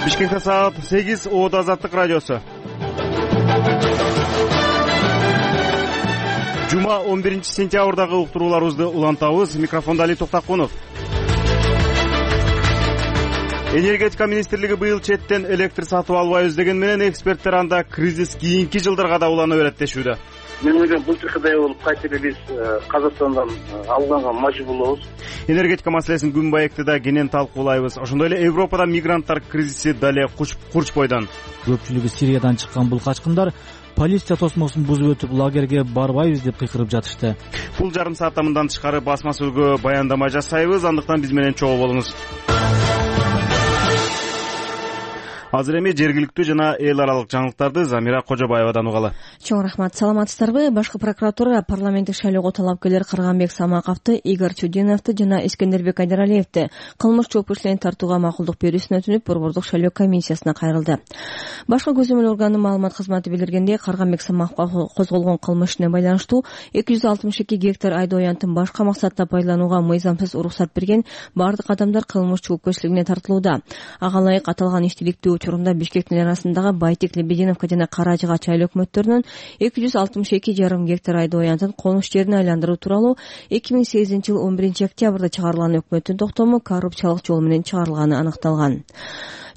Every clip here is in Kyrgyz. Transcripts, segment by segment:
Бишкекте саат 8, Оодо Азаттык радиосу. Жума 11-сентябрдагы уктурууларыбызды улантабыз. Микрофонда Али Токтакунов. Энергетика министрлиги быйыл четтен электр сатып албайбыз деген менен эксперттер анда кризис кийинки жылдарга да улана берет дешүүдө. Мен ойлойм бул жакыдай болуп кайта эле биз Казакстандан алганга мажбур болобуз. Энергетика маселесин күн байекти да кенен талкуулайбыз. Ошондой эле Европада мигранттар кризиси дале курч бойдон. Көпчүлүгү Сириядан чыккан бул качкындар полиция тосмосун бузуп өтүп лагерге барбайбыз деп кыйкырып жатышты. Бул жарым саатта мындан тышкары басма сөзгө баяндама жасайбыз. Андыктан биз менен чогуу болуңуз. Азыр эми жергиликтүү жана эл аралык жаңылыктарды Замира Кожобаевадан угалы. Чоң рахмат. Саламатсыздарбы? Башкы прокуратура парламенттик шайлоого талапкерлер Карганбек Самаковду, Игорь Чудиновду жана Искендербек Айдаралиевди кылмыш жоопкерчиликтерин тартууга макулдук берүүсүн өтүнүп борбордук шайлоо комиссиясына кайрылды. Башкы көзөмөл органынын маалымат кызматы билдиргендей, Карганбек Самаковго козголгон кылмыш ишине байланыштуу 262 гектар айдоо аянтын башка максатта пайдаланууга мыйзамсыз уруксат берген бардык адамдар кылмыш жоопкерчилигине тартылууда. Ага ылайык аталган иштиликтүү учурунда Бишкектин арасындагы Байтек, Лебединовка жана Каражыга чайлоо өкмөттөрүнүн 262,5 гектар айдоо аянтын конуш жерине айландыруу тууралуу 2008-жыл 11-октябрда чыгарылган өкмөттүн токтому коррупциялык жол менен чыгарылганы аныкталган.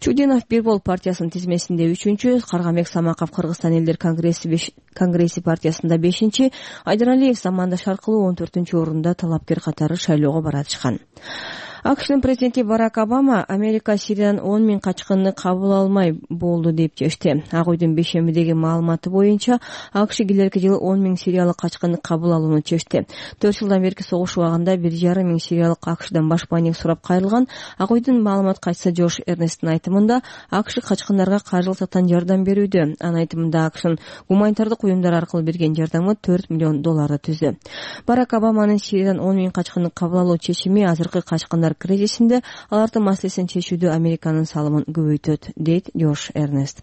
Чудинов Бир Бол партиясынын тизмесинде 3-чү, Карганбек Самаков Кыргызстан элдер конгресси партиясында 5-чи, Айдаралиев замандаш аркылуу 14-чү орунда талапкер катары шайлоого баратышкан. АКШнын президенти Барак Обама Америка Сириядан 10 000 качкынны кабыл алмай болду деп чечти. Ак үйдүн бейшембидеги маалыматы боюнча АКШ келерки жылы 10 000 сириялык качкынны кабыл алууну чечти. 4 жылдан берки согуш убагында 1,5 миң сириялык АКШдан башпаанек сурап кайрылган. Ак үйдүн маалымат катчысы Джош Эрнесттин айтымында АКШ качкындарга каржылык жактан жардам берүүдө. Анын айтымында АКШнын гуманитардык уюмдар аркылуу берген жардамы $4 миллион түздү. Барак Обаманын Сириядан 10 000 качкынны кабыл алуу чечими азыркы качкындар кризисинде алардын маселесин чечүүдө Американын салымын көбөйтөт, дейт Джош Эрнест.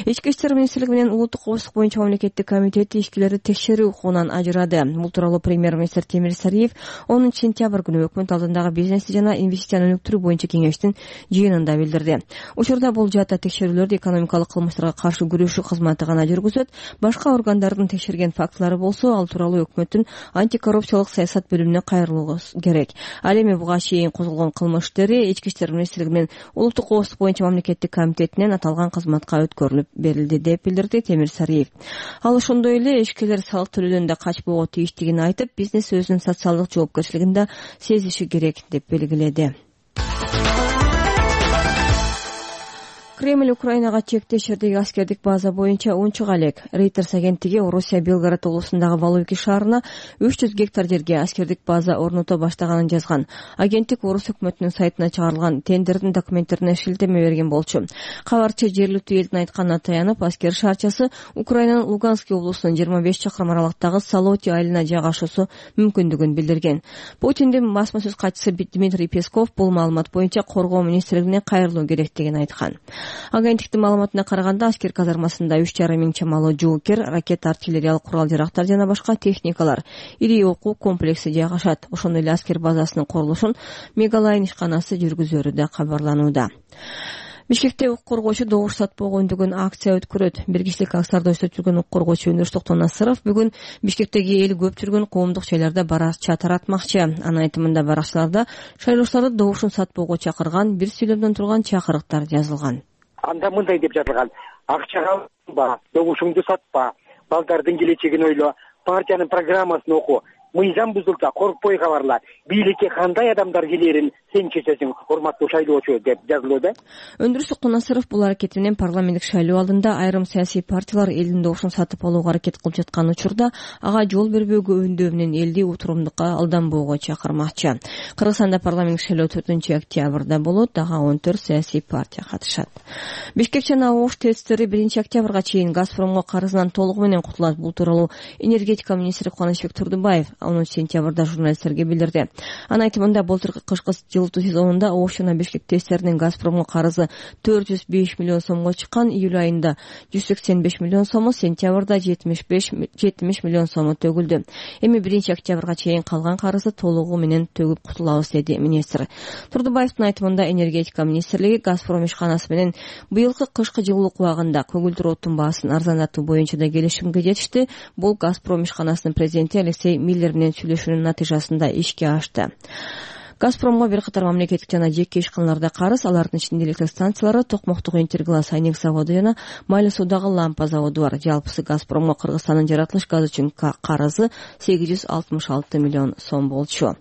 Ички иштер министрлиги менен улуттук коопсуздук боюнча мамлекеттик комитети ишкилерди текшерүү укугунан ажырады. Бул тууралуу премьер-министр Темир Сариев 10-сентябрь күнү өкмөт алдындагы бизнес жана инвестицияны өнүктүрүү боюнча кеңештин жыйынында билдирди. Учурда бул жаатта текшерүүлөрдү экономикалык кылмыштарга каршы күрөшүү кызматы гана жүргүзөт. Башка органдардын текшерген фактылары болсо, ал тууралуу өкмөттүн антикоррупциялык саясат бөлүмүнө кайрылуу керек. Ал эми буга чейин козголгон кылмыш иштери Ички иштер министрлиги менен улуттук коопсуздук боюнча мамлекеттик комитетинен аталган кызматка өткөрүлүп берилди деп билдирди Темир Сариев. Ал ошондой эле ишкерлер салык төлөөдөн да качпоого тийиштигин айтып, бизнес өзүнүн социалдык жоопкерчилигин да сезиши керек деп белгиледи. Кремль Украинага чектеш жердеги аскердик база боюнча унчуга элек. Reuters агенттиги Орусия Белгород облусундагы Валуйки шаарына 300 гектар жерге аскердик база орното баштаганын жазган. Агенттик Орус өкмөтүнүн сайтына чыгарылган тендердин документтерине шилтеме берген болчу. Кабарчы жергиликтүү элдин айтканына таянып, аскер шаарчасы Украинанын Луганский облусунун 25 чакырым аралыктагы Салоти айылына жайгашуусу мүмкүндүгүн билдирген. Путиндин басма сөз катчысы Дмитрий Песков бул маалымат боюнча коргоо министрлигине кайрылуу керектигин айткан. Агенттиктин маалыматына караганда, аскер казармасында 3,5 миң чамалуу жоокер, ракета, артиллериялык курал-жарактар жана башка техникалар, ири окуу комплекси жайгашат. Ошондой эле аскер базасынын курулушун Мегалайн ишканасы жүргүзөрү да кабарланууда. Бишкекте укук коргоочу добуш сатпоого үндөгөн акция өткөрөт. Бир кишилик акцияларда өсөп жүргөн укук коргоочу Өнүр Токтонасыров бүгүн Бишкектеги эл көп жүргөн коомдук жайларда баракча таратмакчы. Анын айтымында баракчаларда шайлоочуларды добушун сатпоого чакырган бир сүйлөмдөн турган чакырыктар жазылган. Анда мындай деп жазылган: акчага алба, добушуңду сатпа, балдардын келечегин ойло, партиянын программасын оку, мыйзам бузулса коркпой кабарла, бийликке кандай адамдар келерин сен чечесиң, урматтуу шайлоочу, деп жазылууда. Өндүр Токтонасыров бул аракети менен парламенттик шайлоо алдында айрым саясий партиялар элдин добушун сатып алууга аракет кылып жаткан учурда ага жол бербөөгө үндөө менен элди утурумдукка алданбоого чакырмакчы. Кыргызстанда парламенттик шайлоо 4-октябрда болот, дагы 14 саясий партия катышат. Бишкек жана Ош ТЭЦтери 1-октябрга чейин Газпромго карызынан толугу менен кутулат. Бул тууралуу энергетика министри Кубанычбек Турдубаев 10 сентябрда журналисттерге билдирди. Анын айтымында былтыркы кышкы жылытуу сезонунда Ош жана Бишкек ТЭСтеринин Газпромго карызы 405 миллион сомго чыккан, июль айында 185 миллион сому, сентябрда 70 миллион сому төгүлдү. Эми 1-октябрга чейин калган карызды толугу менен төгүп кутулабыз, деди министр. Турдубаевдин айтымында энергетика министрлиги Газпром ишканасы менен быйылкы кышкы жылуулук убагында көгүлдүр оттун баасын арзандатуу боюнча да келишимге жетишти. Бул Газпром ишканасынын президенти Алексей Миллер менен сүйлөшүүнүн натыйжасында ишке ашты. Газпромго бир катар мамлекеттик жана жеке ишканаларда карыз, алардын ичинде электр станциялары, токмоктук Интерглаз айнек заводу жана майлы суудагы лампа заводу бар. Жалпысы Газпромго Кыргызстандын жаратылыш газы үчүн карызы 866 миллион сом болчу.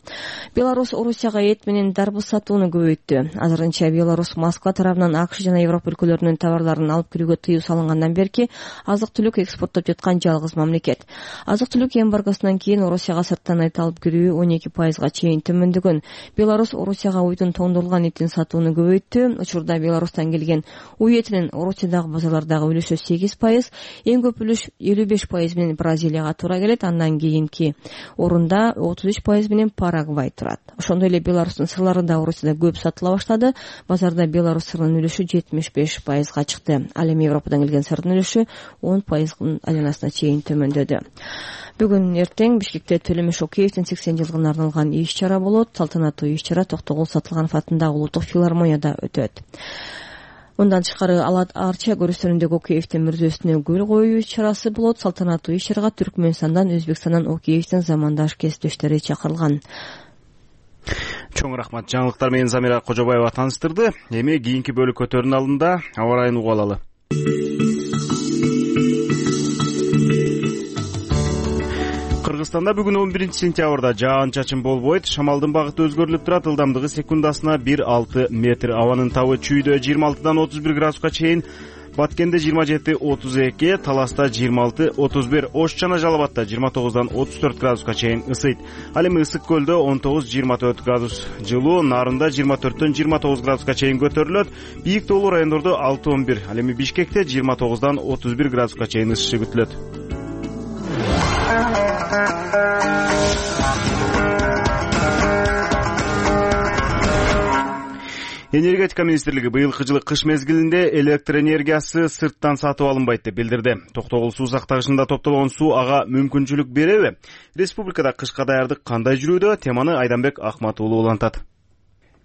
Беларусь Орусияга эт менен дарбыз сатууну көбөйттү. Азырынча Беларусь Москва тарабынан АКШ жана Европа өлкөлөрүнүн товарларын алып кирүүгө тыюу салынгандан берки азык-түлүк экспорттоп жаткан жалгыз мамлекет. Азык-түлүк эмбаргосунан кийин Орусияга сырттан эт алып кирүү 12%га чейин төмөндөгөн. Беларусь Орусияга уйдун тоңдурулган этин сатууну көбөйттү. Учурда Беларустан келген уй этинин Орусиядагы базарлардагы үлүшү 8%, эң көп үлүш 55% менен Бразилияга туура келет. Андан кийинки орунда 33% менен Парагвай турат. Ошондой эле Беларустун сырлары да Орусияда көп сатыла баштады. Базарда Беларусь сырынын үлүшү 75%га чыкты. Ал эми Европадан келген сырдын үлүшү 10%-ын айланасына чейин төмөндөдү. Бүгүн эртең Бишкекте Төлөмөш Шокеевдин 80 жылдыгына арналган иш-чара болот. Салтанаттуу иш-чара Токтогул Сатылганов атындагы улуттук филармонияда өтөт. Мындан тышкары Арча көрүстөрүндөгү Океевдин мүрзөсүнө гүл коюу иш-чарасы болот. Салтанаттуу иш-чарага Түркмөнстандан, Өзбекстандан Океевдин замандаш кесиптештери чакырылган. Чоң рахмат. Жаңылыктар менен Замира Кожобаева таныштырды. Эми кийинки бөлүккө көрүн алында аба ырайын угуп алалы. Кыргызстанда бүгүн 11-сентябрда жаан-чачын болбойт. Шамалдын багыты өзгөрүлүп турат. Ылдамдыгы секундасына 1,6 метр. Абанын табы чүйдө 26-дан 31 градуска чейин. Баткенде 27-32, Таласта 26-31, Ош жана Жалал-Абадта 29-дан 34 градуска чейин ысыйт. Ал эми Ысык көлдө 19-24 градус жылуу, Нарында 24-төн 29 градуска чейин көтөрүлөт. Бийик тоолуу райондордо 6-11, ал эми Бишкекте 29-дан 31 градуска чейин ысышы күтүлөт. Энергетика министрлиги быйылкы жылы кыш мезгилинде электр энергиясы сырттан сатып алынбайт деп билдирди. Токтогул суу сактагычында топтолгон суу ага мүмкүнчүлүк береби? Республикада кышка даярдык кандай жүрүүдө? Теманы Айданбек Акмат уулу улантат.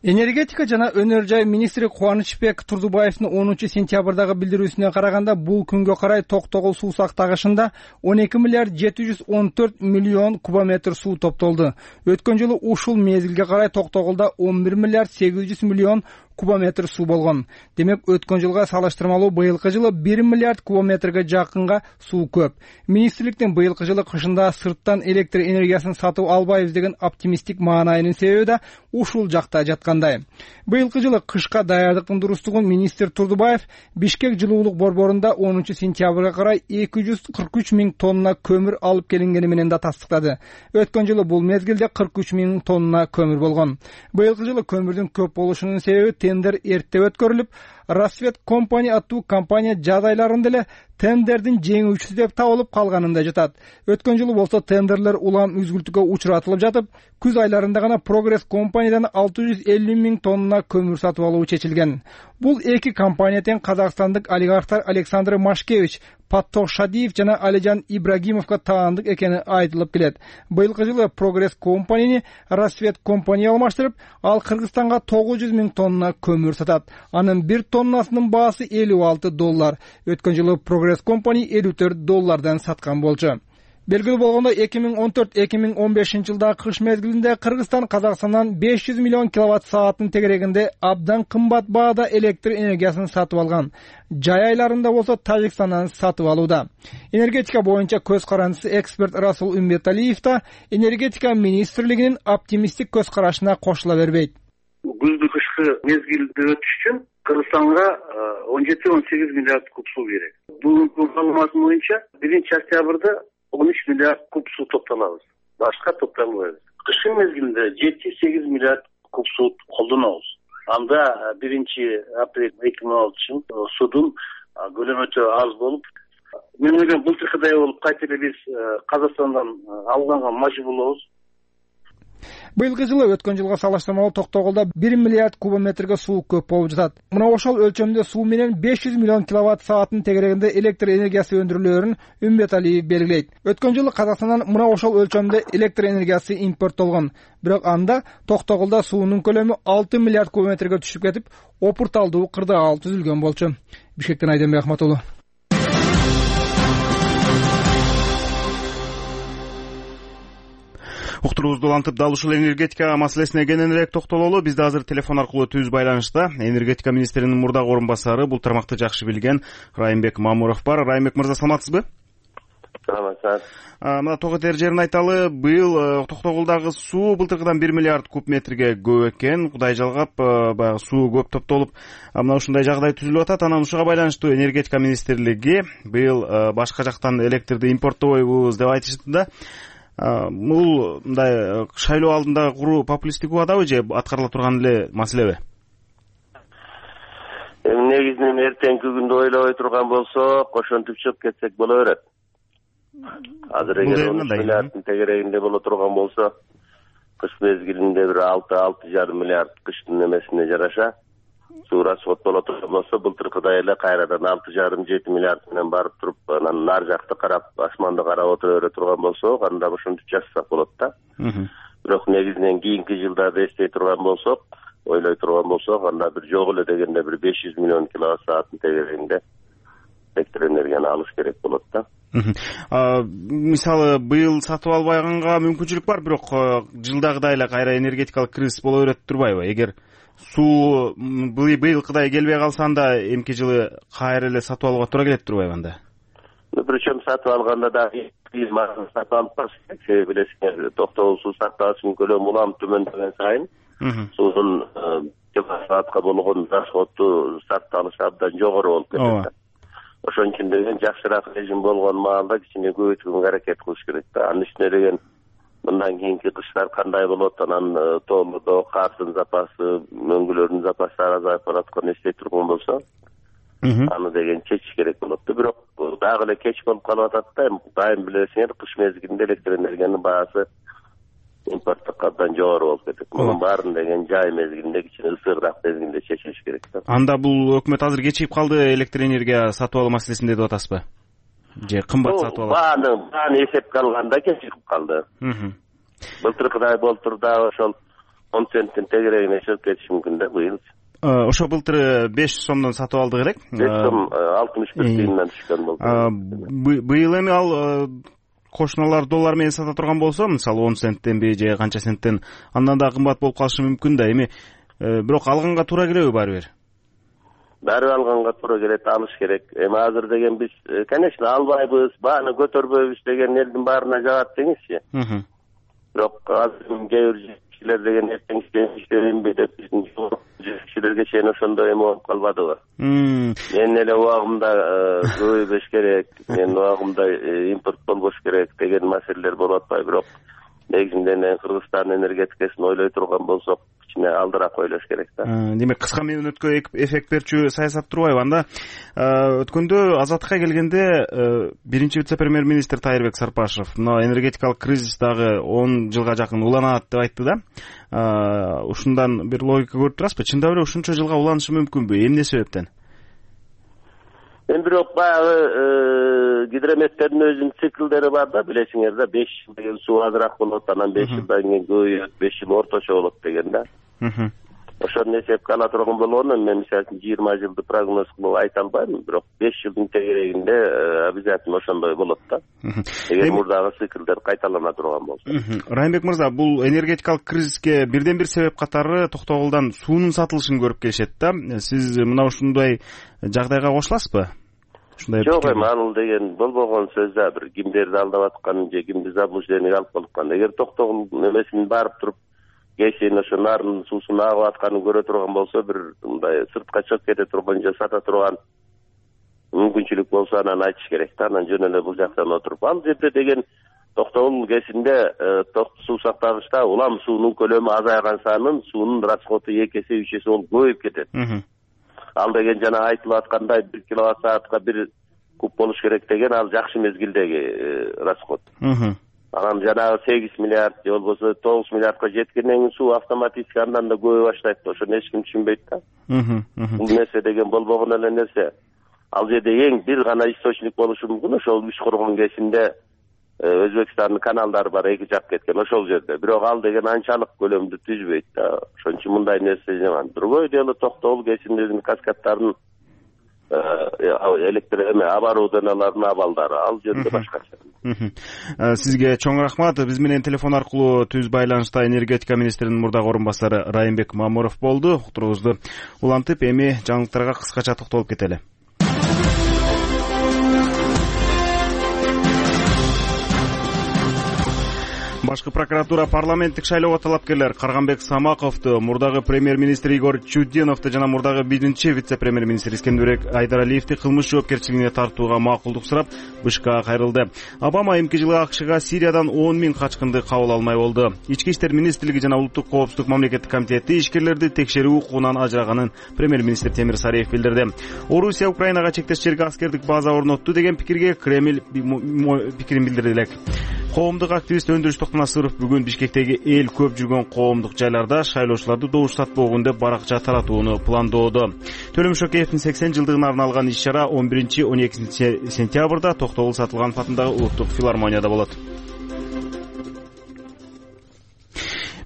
Энергетика жана өнөр жай министри Кубанычбек Турдубаевдин 10-сентябрдагы билдирүүсүнө караганда, бул күнгө карай Токтогул суу сактагычында 12 миллиард 714 миллион кубометр суу топтолду. Өткөн жылы ушул мезгилге карай Токтогулда 11 миллиард 800 миллион кубометр суу болгон. Демек, өткөн жылга салыштырмалуу быйылкы жылы 1 миллиард кубометрге жакынга суу көп. Министрликтин быйылкы жылы кышында сырттан электр энергиясын сатып албайбыз деген оптимисттик маанайынын себеби да ушул жакта жаткандай. Быйылкы жылы кышка даярдыктын дурустугун министр Турдубаев Бишкек жылуулук борборунда 10-сентябрга карай 243 миң тонна көмүр алып келингени менен да тастыктады. Өткөн жылы бул мезгилде 43 миң тонна көмүр болгон. Быйылкы жылы көмүрдүн көп болушунун себеби тендер эрте өткөрүлүп, Рассвет компания аттуу компания жаз айларында эле тендердин жеңүүчүсү деп табылып калганында жатат. Өткөн жылы болсо тендерлер улам үзгүлтүккө учуратылып жатып, күз айларында гана Прогресс компаниядан 650 миң тонна көмүр сатып алуу чечилген. Бул эки компания тең казакстандык олигархтар Александр Машкевич, Паттох Шадиев жана Алижан Ибрагимовго таандык экени айтылып келет. Быйылкы жылы Прогресс компанияны Рассвет компания алмаштырып, ал Кыргызстанга 900 миң тонна көмүр сатат. Анын бир тоннасынын баасы $56. Өткөн жылы Прогресс компания $54 саткан болчу. Белгилүү болгондой, 2014-2015 жылдагы кыш мезгилинде Кыргызстан Казакстандан 500 миллион киловатт сааттын тегерегинде абдан кымбат баада электр энергиясын сатып алган. Жай айларында болсо Тажикстандан сатып алууда. Энергетика боюнча көз карандысы эксперт Расул Умбеталиев да энергетика министрлигинин оптимисттик көз карашына кошула бербейт. Күздү кышкы мезгилде өтүш үчүн Кыргызстанга 17-18 миллиард куб суу керек. Бүгүнкү маалымат боюнча 1-октябрда 13 миллиард куб суу топтолобуз. Башка топтолбойбуз. Кышкы мезгилинде 7-8 миллиард куб суу колдонобуз. Анда 1-апрель 2016 судун көлөмү өтө аз болуп, мен ойлойм былтыркыдай болуп кайта эле биз Казакстандан алганга мажбур болобуз. Быйылкы жылы өткөн жылга салыштырмалуу Токтогулда 1 миллиард кубометрге суу көп болуп жатат. Мына ошол өлчөмдө суу менен 500 миллион киловатт саатын тегерегинде электр энергиясы өндүрүлөөрүн Үмбет Алиев белгилейт. Өткөн жылы Казакстандан мына ошол өлчөмдө электр энергиясы импорттолгон. Бирок анда Токтогулда суунун көлөмү 6 миллиард кубометрге түшүп кетип, опурталдуу кырдаал түзүлгөн болчу. Бишкектен Айденбек Ахматуллу. Уктуруубузду улантып, дал ушул энергетика маселесине кененирээк токтололу. Бизде азыр телефон аркылуу түз байланышта энергетика министринин мурдагы орун басары, бул тармакты жакшы билген Райымбек Мамуров бар. Райымбек мырза, саламатсызбы? Саламатсыз. Мына ток этер жерин айталы, быйыл Токтогулдагы суу былтыркыдан 1 миллиард куб метрге көп экен. Кудай жалгап, баягы суу көп топтолуп, мына ушундай жагдай түзүлүп атат. Анан ушуга байланыштуу энергетика министрлиги быйыл башка жактан электрди импорттобойбуз деп айтышты да. Бул мындай шайлоо алдында куру популисттик убадабы же аткарыла турган эле маселеби? Негизинен эртеңки күндү ойлобой турган болсок, ошентип чыгып кетсек боло берет. Азыр эгер 10 миллиарддын тегерегинде боло турган болсо, кыш мезгилинде бир 6,5 миллиард кыштын эмесине жараша суу расход боло турган болсо, былтыркыдай эле кайрадан 6,5-7 миллиард менен барып туруп, анан нар жакты карап, асманды карап отура бере турган болсок, анда ошентип жасасак болот да. Бирок негизинен кийинки жылдарды эстей турган болсок, ойлой турган болсок, анда бир жок эле дегенде бир 500 миллион киловатт сааттын тегерегинде электр энергияны алыш керек болот да. Мисалы, быйыл сатып албайганга мүмкүнчүлүк бар, бирок жылдагыдай эле кайра энергетикалык кризис боло берет турбайбы? Эгер суу быйылкыдай келбей калса, анда эмки жылы кайра эле сатып алууга туура келет турбайбы анда? Причем сатып алганда да сатып алып барсак, себеби билесиңер, Токтогул суу сактагычынын көлөмү улам төмөндөгөн сайын суунун киловатт-саатка болгон расходу сатып алышы абдан жогору болуп кетет. Ошон үчүн деген жакшыраак режим болгон маалда кичине көбөйткөнгө аракет кылыш керек да. Анын үстүнө деген мындан кийинки кыштар кандай болот, анан тоолордо кардын запасы, мөңгүлөрдүн запастары азайып баратканын эстей турган болсо, аны деген чечиш керек болот да. Бирок дагы эле кеч болуп калып атат да. Дайым билесиңер, кыш мезгилинде электр энергиянын баасы импорттук абдан жогору болуп кетет. Мунун баарын деген жай мезгилинде, кичине ысыгыраак мезгилинде чечиш керек да. Анда бул өкмөт азыр кечигип калды электр энергия сатып алуу маселесинде деп атасызбы? Же кымбат сатып алат? Бааны эсепке алганда кечигип калды. Былтыркыдай болтур да ошол 10 центтин тегерегине чыгып кетиши мүмкүн да быйыл. Ошо былтыр 500 сомдон сатып алдык элек. 5 сом 61 тыйындан түшкөн болду. Быйыл эми ал кошуналар доллар менен сата турган болсо, мисалы 10 центтенби же канча центтен, андан да кымбат болуп калышы мүмкүн да. Эми бирок алганга туура келеби баары бир? Баары алганга туура келет, алыш керек. Эми азыр деген биз, конечно, албайбыз, бааны көтөрбөйбүз деген элдин баарына жагат деңизчи. Бирок азыр кээ бир кишилер деген эртеңки деп биздин кишилерге чейин ошондой эме болуп калбадыбы? Мен эле убагымда көбөйбөш керек, мен убагымда импорт болбош керек деген маселелер болуп атпайбы? Бирок негизинен Кыргызстандын энергетикасын ойлой турган болсок, кичине алдыраак ойлош керек да. Демек, кыска мөөнөткө эффект берчү саясат турбайбы? Анда өткөндө Азаттыкка келгенде биринчи вице-премьер-министр Тайырбек Сарпашев мына энергетикалык кризис дагы 10 жылга жакын уланат деп айтты да. Ушундан бир логика көрүп турасызбы? Чындап эле ушунча жылга уланышы мүмкүнбү? Эмне себептен? Бирок баягы гидрометтердин өзүнүн циклдери бар да, билесиңер да, 5 жыл деген суу азыраак болот, анан 5 жылдан кийин көбөйөт, 5 жыл орточо болот деген да. Ошону эсепке ала турган болгондо мен мисалы үчүн 20 жылды прогноз кылып айта албайм, бирок 5 жылдын тегерегинде обязательно ошондой болот да. Эгер мурдагы циклдер кайталана турган болсо. Райымбек мырза, бул энергетикалык кризиске бирден бир себеп катары Токтогулдан суунун сатылышын көрүп келишет да. Сиз мына ушундай жагдайга кошуласызбы? Жок, эми ал деген болбогон сөз да, бир кимдерди алдап аткан же кимди заблуждениеге алып калышкан. Эгер Токтогул эмесин барып туруп кечин ошо нардын суусун агып атканын көрө турган болсо, бир мындай сыртка чыгып кете турган же сата турган мүмкүнчүлүк болсо, анан айтыш керек да. Анан жөн эле бул жактан отуруп, ал жерде деген Токтогул кесинде суу сактагычта улам суунун көлөмү азайган сайын суунун расходу 2 эсе 3 эсе болуп көбөйүп кетет. Ал деген жана айтылып аткандай 1 киловатт саатка 1 куб болуш керек деген ал жакшы мезгилдеги расход. Анан жанагы 8 миллиард же болбосо 9 миллиардка жеткенден кийин суу автоматически андан да көбөй баштайт да. Ошону эч ким түшүнбөйт да. Бул нерсе деген болбогон эле нерсе. Ал жерде эң бир гана источник болушу мүмкүн. Ошол үч коргон кесинде Өзбекстандын каналдары бар, эки жак кеткен ошол жерде. Бирок ал деген анчалык көлөмдү түзбөйт да. Ошон үчүн мындай нерсе жаман. Другой дело Токтогул кесиндеринин каскадтарын электр оборудованиялардын абалдары ал жерде башкача. Сизге чоң рахмат. Биз менен телефон аркылуу түз байланышта энергетика министринин мурдагы орун басары Райымбек Мамуров болду. Уктуруубузду улантып, эми жаңылыктарга кыскача токтолуп кетели. Башкы прокуратура парламенттик шайлоого талапкерлер Карганбек Самаковду, мурдагы премьер-министр Игорь Чудиновду жана мурдагы биринчи вице-премьер-министр Искендербек Айдаралиевди кылмыш жоопкерчилигине тартууга макулдук сурап БШКга кайрылды. Обама эмки жылы АКШга Сириядан 10 000 качкынды кабыл алмай болду. Ички иштер министрлиги жана Улуттук коопсуздук мамлекеттик комитети ишкерлерди текшерүү укугунан ажыраганын премьер-министр Темир Сариев билдирди. Орусия Украинага чектеш жерге аскердик база орнотту деген пикирге Кремль пикирин билдирди элек. Коомдук активист Өндүрүш Насыров бүгүн Бишкектеги эл көп жүргөн коомдук жайларда шайлоочуларды добуштатпогон деп баракча таратууну пландоодо. Төлөм Шокеевдин 80 жылдыгына арналган иш-чара 11-12 сентябрда Токтогул Сатылганов атындагы Улуттук филармонияда болот.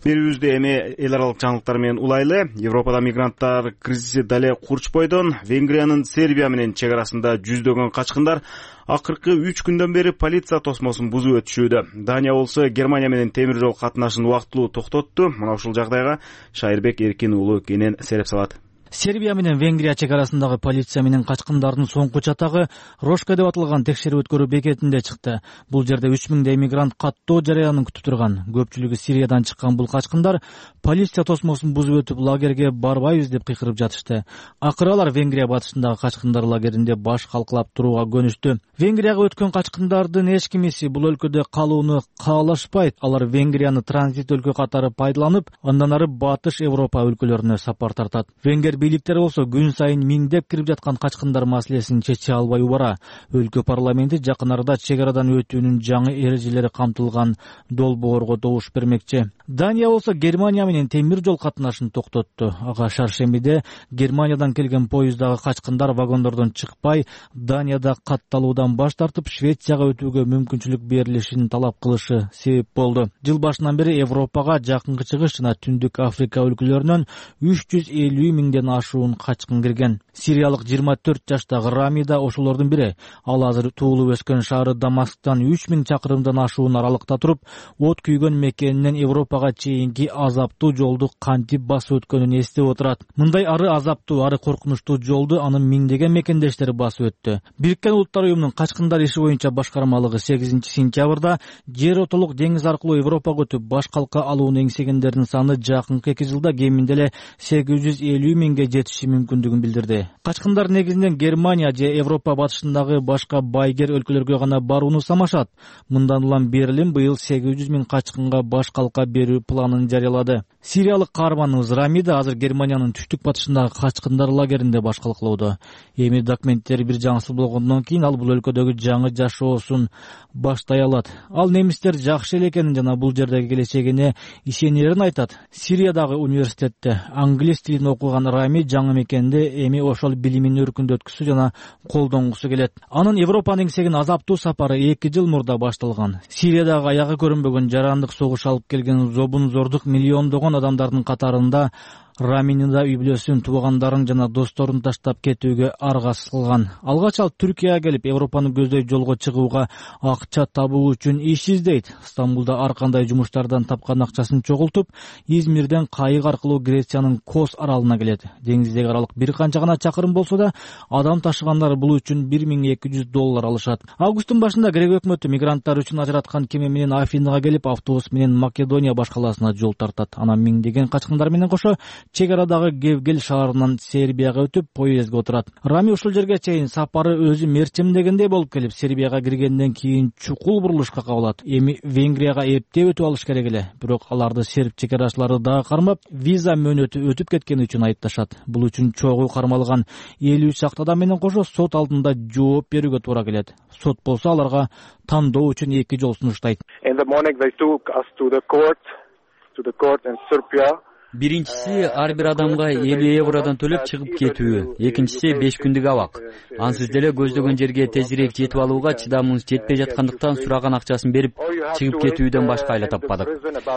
Берүүбүздү эми эл аралык жаңылыктар менен улайлы. Европада мигранттар кризиси дале курчпойдон. Венгриянын Сербия менен чек арасында жүздөгөн качкындар акыркы 3 күндөн бери полиция тосмосун бузуп өтүшүүдө. Дания болсо Германия менен темир жол катнашын убактылуу токтотту. Мына ушул жагдайга Шайырбек Эркин уулу кенен сереп салат. Сербия менен Венгрия чек арасындагы полиция менен качкындардын соңку чатагы Рошка деп аталган текшерүү өткөрүү бекетинде чыкты. Бул жерде 3000 мигрант каттоо жарыянын күтүп турган. Көпчүлүгү Сириядан чыккан бул качкындар полиция тосмосун бузуп өтүп лагерге барбайбыз деп кыйкырып жатышты. Акыры алар Венгрия батышындагы качкындар лагеринде баш калкалап турууга көнүштү. Венгрияга өткөн качкындардын эч кимиси бул өлкөдө калууну каалашпайт. Алар Венгрияны транзит өлкө катары пайдаланып, андан ары Батыш Европа өлкөлөрүнө сапар тартат. Венгер бийликтери болсо күн сайын миңдеп кирип жаткан качкындар маселесин чече албай убара. Өлкө парламенти жакын арада чек арадан өтүүнүн жаңы эрежелери камтылган долбоорго добуш бермекчи. Дания болсо Германия менен темир жол катнашын токтотту. Ага шаршембиде Германиядан келген поездагы качкындар вагондордон чыкпай, Данияда катталуудан баш тартып, Швецияга өтүүгө мүмкүнчүлүк берилишин талап кылышы себеп болду. Жыл башынан бери Европага Жакынкы Чыгыш жана Түндүк Африка өлкөлөрүнөн 350 миңден ашуун качкын кирген. Сириялык 24 жаштагы Рами да ошолордун бири. Ал азыр туулуп өскөн шаары Дамасктан 3000 чакырымдан ашуун аралыкта туруп, от күйгөн мекенинен Европага чейинки азаптуу жолду кантип басып өткөнүн эстеп отурат. Мындай ары азаптуу, ары коркунучтуу жолду анын миңдеген мекендештери басып өттү. Бириккен Улуттар уюмунун качкындар иши боюнча башкармалыгы 8 сентябрда жер отолук деңиз аркылуу Европага өтүп баш калка алууну эңсегендердин саны жакынкы 2 жылда кеминде эле 850 миңге жетиши мүмкүндүгүн билдирди. Качкындар негизинен Германия же Европа батышындагы башка байгер өлкөлөргө гана барууну самашат. Мындан улам Берлин быйыл 800 миң качкынга баш калка берүү планын жарыялады. Сириялык каарманыбыз Рамида азыр Германиянын түштүк батышындагы качкындар лагеринде баш калкалоодо. Эми документтери бир жаңысыл болгондон кийин ал бул өлкөдөгү жаңы жашоосун баштай алат. Ал немистер жакшы эле экенин жана бул жердеги келечегине ишенерин айтат. Сириядагы университетте англис тилин окуган Рами жаңы мекенде эми ошол билимин өркүндөткүсү жана колдонгусу келет. Анын Европанын эңсеген азаптуу сапары 2 жыл мурда башталган. Сириядагы аягы көрүнбөгөн жарандык согуш алып келген зобун-зордук миллиондогон адамдардын катарында Раминин да үй бүлөсүн, туугандарын жана досторун таштап кетүүгө аргасыз кылган. Алгач ал Түркияга келип, Европаны көздөй жолго чыгууга акча табуу үчүн иш издейт. Стамбулда ар кандай жумуштардан тапкан акчасын чогултуп, Измирден кайык аркылуу Грециянын Кос аралына келет. Деңиздеги аралык бир канча гана чакырым болсо да, адам ташыгандар бул үчүн $1200 алышат. Августтун башында Грек өкмөтү мигранттар үчүн ажыраткан кеме менен Афинага келип, автобус менен Македония баш калаасына жол тартат. Анан миңдеген качкындар менен кошо чек арадагы Гевгел шаарынан Сербияга өтүп поездге отурат. Рами ушул жерге чейин сапары өзү мерчимдегендей болуп келип, Сербияга киргенден кийин чукул бурулушка кабылат. Эми Венгрияга эптеп өтүп алыш керек эле. Бирок аларды серб чек арачылары дагы кармап, виза мөөнөтү өтүп кеткени үчүн айыпташат. Бул үчүн чогуу кармалган 53 чакты адам менен кошо сот алдында жооп берүүгө туура келет. Сот болсо аларга тандоо үчүн 2 жол сунуштайт. Биринчиси ар бир адамга 50 евродон төлөп чыгып кетүү, экинчиси 5 күндүк абак. Ансыз деле көздөгөн жерге тезирээк жетип алууга чыдамыбыз жетпей жаткандыктан сураган акчасын берип чыгып кетүүдөн башка айла таппадык.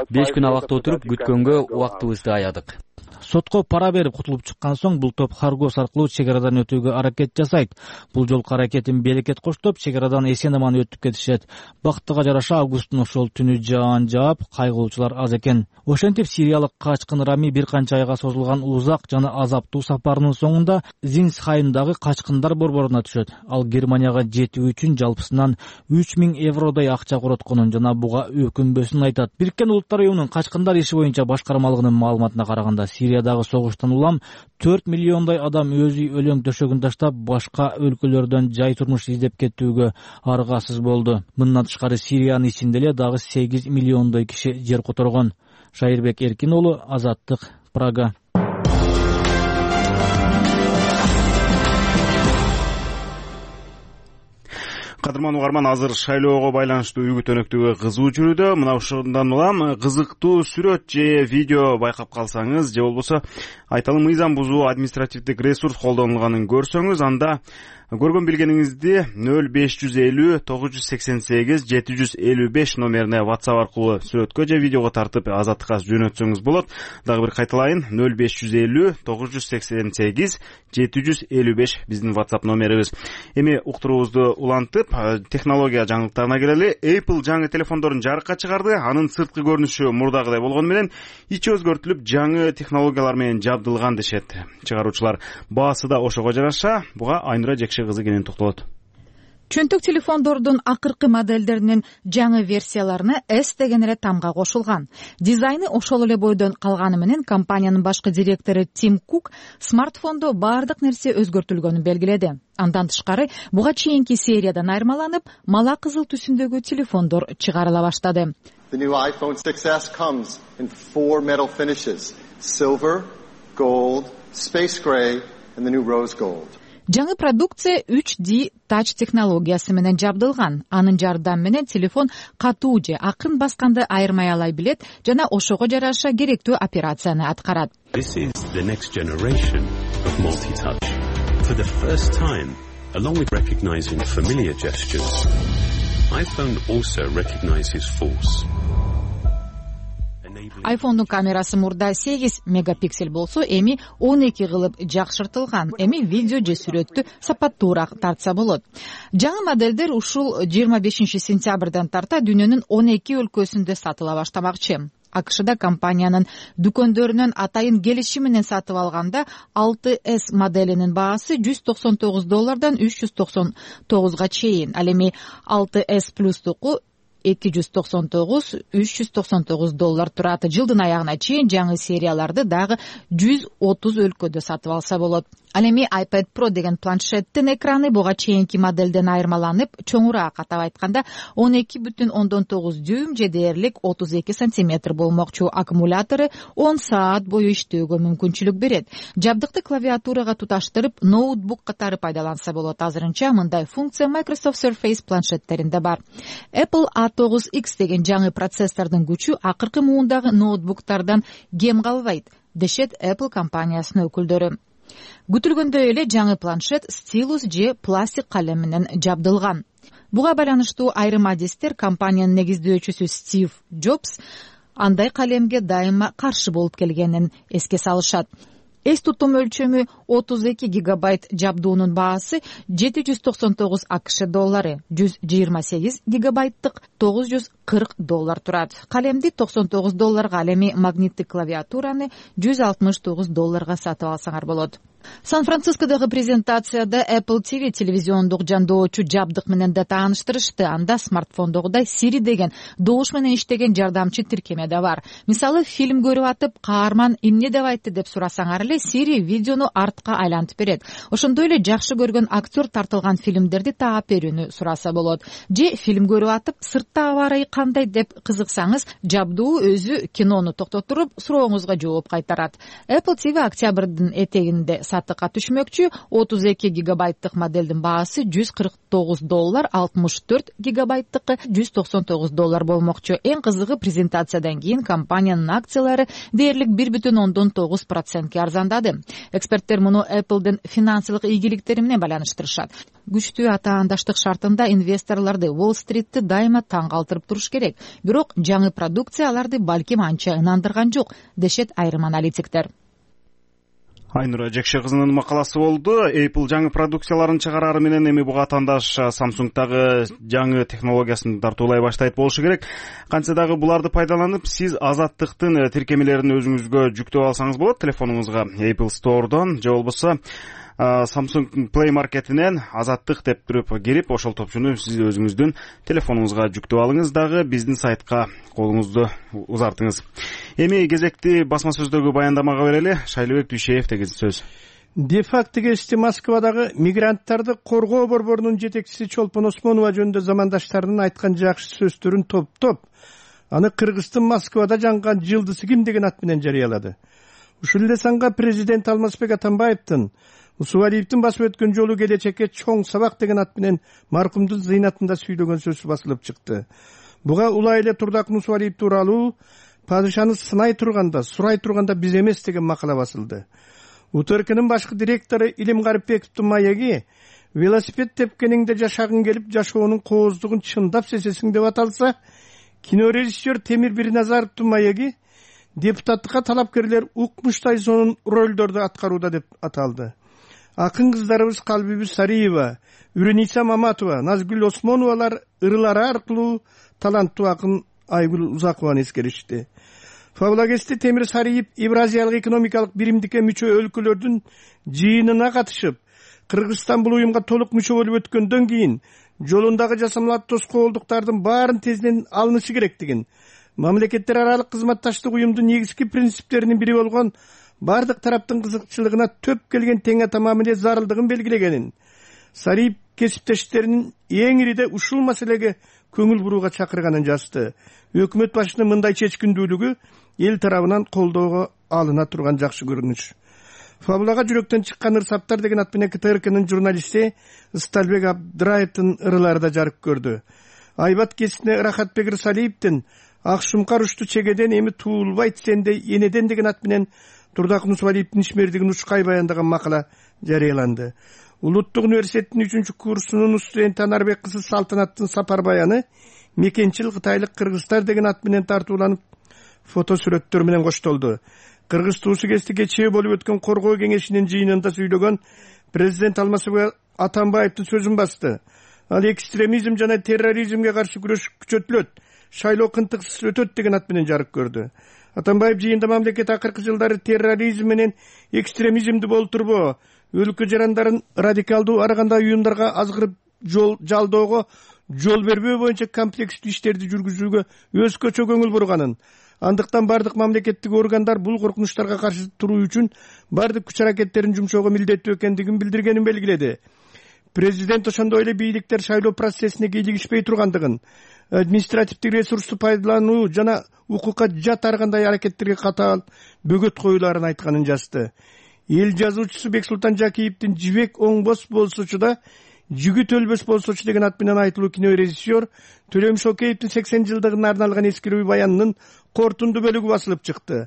5 күн абакта отуруп күткөнгө убактыбызды аядык. Сотко пара берип кутулуп чыккан соң бул топ Харгос аркылуу чек арадан өтүүгө аракет жасайт. Бул жолку аракетин берекет коштоп, чек арадан эсен-аман өтүп кетишет. Бактыга жараша августтун ошол түнү жаан жаап, кайгылуучулар аз экен. Ошентип сириялык качкын Рами бир канча айга созулган узак жана азаптуу сапарынын соңунда Зинсхаймдагы качкындар борборуна түшөт. Ал Германияга жетүү үчүн жалпысынан 3000 евродой акча коротконун жана буга өкүнбөсүн айтат. Бириккен Улуттар уюмунун качкындар иши боюнча башкармалыгынын маалыматына караганда, Сириядагы согуштан улам 4 миллиондой адам өз үй өлөң төшөгүн таштап, башка өлкөлөрдөн жай турмуш издеп кетүүгө аргасыз болду. Мындан тышкары Сириянын ичинде эле дагы 8 миллиондой киши жер которгон. Шайырбек Эркин уулу, Азаттык, Прага. Кадырман угарман, азыр шайлоого байланыштуу үгүт өнөктүгү кызуу жүрүүдө. Мына ушундан улам кызыктуу сүрөт же видео байкап калсаңыз, же болбосо айталым мыйзам бузуу административдик ресурс колдонулганын көрсөңүз, анда көргөн билгениңизди 0550 988 755 номерине WhatsApp аркылуу сүрөткө же видеого тартып Азаттыкка жөнөтсөңүз болот. Дагы бир кайталайын: 0550 988 755 биздин WhatsApp номерибиз. Эми уктуруубузду улантып, технология жаңылыктарына келели. Apple жаңы телефондорун жарыкка чыгарды. Анын сырткы көрүнүшү мурдагыдай болгону менен ичи өзгөртүлүп, жаңы технологиялар менен жабдылган дешет чыгаруучулар. Баасы да ошого жараша. Буга Айнура кызы кенен токтолот. Чөнтөк телефондордун акыркы модельдеринин жаңы версияларына S деген эле тамга кошулган. Дизайны ошол эле бойдон калганы менен компаниянын башкы директору Тим Кук смартфондо баардык нерсе өзгөртүлгөнүн белгиледи. Андан тышкары буга чейинки сериядан айырмаланып, мала кызыл түсүндөгү телефондор чыгарыла баштады. The new iPhone 6s comes in 4 metal finishes: silver, gold, space gray and the new rose gold. Жаңы продукция 3D Touch технологиясы менен жабдылган. Анын жардамы менен телефон катуу же акын басканды айырмай алай билет жана ошого жараша керектүү операцияны аткарат. This is the next generation of multi-touch. For the first time, along with recognizing familiar gestures, iPhone also recognizes force. iPhone'un камерасы мурда 8 мегапиксель болсо, эми 12 кылып жакшыртылган. Эми видео же сүрөттү сапаттуураак тартса болот. Жаңы модельдер ушул 25 сентябрдан тарта дүйнөнүн 12 өлкөсүндө сатыла баштамакчы. АКШда компаниянын дүкөндөрүнөн атайын келишим менен сатып алганда 6S моделинин баасы $199 $399 чейин. Ал эми 6S Plus-туку $299-399 турат. Жылдын аягына чейин жаңы серияларды дагы 130 өлкөдө сатып алса болот. Ал эми iPad Pro деген планшеттин экраны буга чейинки моделден айырмаланып, чоңураак, атап айтканда 12,9 дюйм же дээрлик 32 сантиметр болмокчу. Аккумулятору 10 саат бою иштөөгө мүмкүнчүлүк берет. Жабдыкты клавиатурага туташтырып, ноутбук катары пайдаланса болот. Азырынча мындай функция Microsoft Surface планшеттеринде бар. Apple A9X деген жаңы процессордун күчү акыркы муундагы ноутбуктардан кем калбайт, дешет Apple компаниясынын өкүлдөрү. Күтүлгөндөй эле жаңы планшет стилус же пластик калем менен жабдылган. Буга байланыштуу айрым адистер компаниянын негиздөөчүсү Стив Джобс андай калемге дайыма каршы болуп келгенин эске салышат. Эс тутум өлчөмү 32 гигабайт жабдуунун баасы $799 АКШ, 128 гигабайттык $940 турат. Калемди $99, ал эми магниттик клавиатураны $169 сатып алсаңар болот. Сан-Францискодогу презентацияда Apple TV телевизиондук жандоочу жабдык менен да тааныштырышты. Анда смартфондогудай Siri деген добуш менен иштеген жардамчы тиркеме да бар. Мисалы, фильм көрүп атып, каарман эмне деп айтты деп сурасаңар эле Siri видеону артка айлантып берет. Ошондой эле жакшы көргөн актер тартылган фильмдерди таап берүүнү сураса болот. Же фильм көрүп атып, сыртта аба ырайы кандай деп кызыксаңыз, жабдуу өзү кинону токтотуруп, сурооңузга жооп кайтарат. Apple TV октябрдын этегинде сатыкка түшмөкчү. 32 гигабайттык моделдин баасы $149, 64 гигабайттыкы $199 болмокчу. Эң кызыгы, презентациядан кийин компаниянын акциялары дээрлик 1,9%ке арзандады. Эксперттер муну Apple'дын финансылык ийгиликтери менен байланыштырышат. Күчтүү атаандаштык шартында инвесторлорду, Уолл-стритти дайыма таң калтырып туруш керек. Бирок жаңы продукция аларды балким анча ынандырган жок, дешет айрым аналитиктер. Айнура Жекше кызынын макаласы болду. Apple жаңы продукцияларын чыгарары менен эми буга атаандаш Samsung'дагы жаңы технологиясын тартуулай баштайт болушу керек. Кантсе дагы буларды пайдаланып, сиз азаттыктын тиркемелерин өзүңүзгө жүктөп алсаңыз болот телефонуңузга Apple Store'дон, же болбосо Samsung Play Market'инен азаттык деп туруп кирип, ошол топчуну сиз өзүңүздүн телефонуңузга жүктөп алыңыз, дагы биздин сайтка колуңузду узартыңыз. Эми кезекти басма сөздөгү баяндамага берели. Шайлыбек Дүйшеев деген сөз. Де-факто кести Москвадагы мигранттарды коргоо борборунун жетекчиси Чолпон Осмонова жөнүндө замандаштарынын айткан жакшы сөздөрүн топтоп, аны Кыргыздын Москвада жанган жылдысы ким деген ат менен жарыялады. Ушул эле санга президент Алмазбек Атамбаевдин Усубалиевдин басып өткөн жолу келечекке чоң сабак деген ат менен маркумдун зыйнатында сүйлөгөн сөзү басылып чыкты. Буга улай эле Турдакын Усубалиев тууралуу падышаны сынай турганда, сурай турганда биз эмес деген макала басылды. УТРКнын башкы директору Илим Гарипбековдун маеги велосипед тепкениңде жашагың келип, жашоонун кооздугун чындап сезесиң деп аталса, кинорежиссер Темир Бирназаровдун маеги депутаттыкка талапкерлер укмуштай сонун ролдорду аткарууда деп аталды. Акын кыздарыбыз Калбибиз Сариева, Үрениса Маматова, Назгүл Осмоновалар ырылары аркылуу таланттуу акын Айгүл Узакованы эскеришти. Фаблагести Темир Сариев Евразиялык экономикалык биримдикке мүчө өлкөлөрдүн жыйынына катышып, Кыргызстан бул уюмга толук мүчө болуп өткөндөн кийин жолундагы жасамалар тоскоолдуктардын баарын тезинен алынышы керектигин, мамлекеттер аралык кызматташтык уюмдун негизги принциптеринин бири болгон бардык тараптын кызыкчылыгына төп келген тең тамамы зарылдыгын белгилегенин, Сариев кесиптештеринин эң ириде ушул маселеге көңүл бурууга чакырганын жазды. Өкмөт башынын мындай чечкиндүүлүгү эл тарабынан колдоого алына турган жакшы көрүнүш. Фабулага жүрөктөн чыккан ырсаптар деген ат менен КТРКнын журналисти Сталбек Абдыраевдин ырылары да жарык көрдү. Айбат кесине Рахатбек Рысалиевдин Акшумкар ушту чегеден эми туулбайт сенде энеден деген ат менен Турдакын Усубалиевдин ишмердигин ушкай баяндаган макала жарыяланды. Улуттук университеттин 3-курсунун студенти Анарбек кызы Салтанаттын сапар баяны мекенчил кытайлык кыргыздар деген ат менен тартууланып, фото сүрөттөр менен коштолду. Кыргыз туусу кести кечээ болуп өткөн коргоо кеңешинин жыйынында сүйлөгөн президент Алмазбек Атамбаевдин сөзүн басты. Ал экстремизм жана терроризмге каршы күрөш күчөтүлөт, шайлоо кынтыксыз өтөт деген ат менен жарык көрдү. Атамбаев жыйында мамлекет акыркы жылдары терроризм менен экстремизмди болтурбоо, өлкө жарандарын радикалдуу ар кандай уюмдарга азгырып жалдоого жол бербөө боюнча комплекстүү иштерди жүргүзүүгө өзгөчө көңүл бурганын, андыктан бардык мамлекеттик органдар бул коркунучтарга каршы туруу үчүн бардык күч аракеттерин жумшоого милдеттүү экендигин билдиргенин белгиледи. Президент ошондой эле бийликтер шайлоо процессине кийлигишпей тургандыгын, административдик ресурсту пайдалануу жана укукка жат ар кандай аракеттерге катаал бөгөт коюларын айтканын жазды. Эл жазуучусу Бексултан Жакиевдин Жибек оңбос болсочу да жигит өлбөс болсочу деген ат менен айтылуу кинорежиссер Төлөм Шокеевдин 80 жылдыгына арналган эскерүү баянынын кортунду бөлүгү басылып чыкты.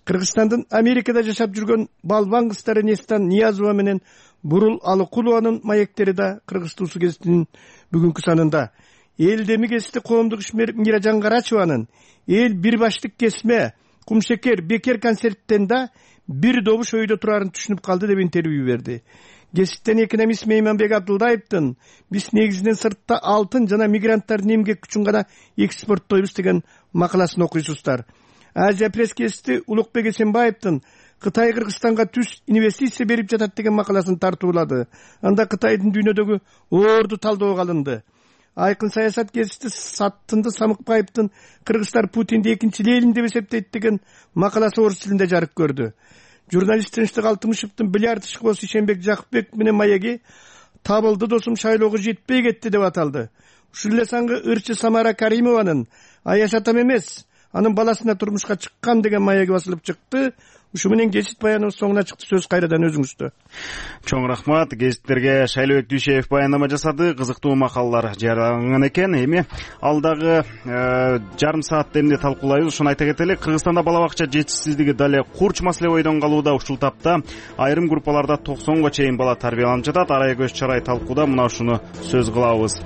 Кыргызстандын Америкада жашап жүргөн балбан кыздары Нестан Ниязова менен Бурул Алыкулованын маектери да Кыргыз туусу гезитинин бүгүнкү санында. Элдеми гезити коомдук ишмер Миражан Карачеванын эл бир баштык кесме, кумшекер, бекер концерттен да бир добуш өйдө турарын түшүнүп калды деп интервью берди. Гезиттен экономист Мейманбек Абдылдаевдин биз негизинен сыртта алтын жана мигранттардын эмгек күчүн гана экспорттойбуз деген макаласын окуйсуздар. Азия пресс гезити Улукбек Эсенбаевдин Кытай Кыргызстанга түз инвестиция берип жатат деген макаласын тартуулады. Анда Кытайдын дүйнөдөгү орду талдоого алынды. Айкын саясат кесишти Саттынды Самыкбаевдин кыргыздар Путинди экинчи Ленин деп эсептейт деген макаласы орус тилинде жарык көрдү. Журналист Тынчтык Алтымышевдин бильярд ишкоосу Ишенбек Жакыпбек менен маеги табылды досум шайлоого жетпей кетти деп аталды. Ушул эле саңгы ырчы Самара Каримованын Аяш атам эмес, анын баласына турмушка чыккан деген маеги басылып чыкты. Ушу менен гезит баяныбыз соңуна чыкты. Сөз кайрадан өзүңүздө. Чоң рахмат. Гезиттерге Шайлообек Дүйшеев баяндама жасады. Кызыктуу макалалар жарыялаган экен. Эми алдагы жарым саатта эмне талкуулайбыз, ошону айта кетели. Кыргызстанда бала бакча жетишсиздиги дале курч маселе бойдон калууда. Ушул тапта айрым группаларда 90га чейин бала тарбияланып жатат. Арай көз чарай талкууда мына ушуну сөз кылабыз.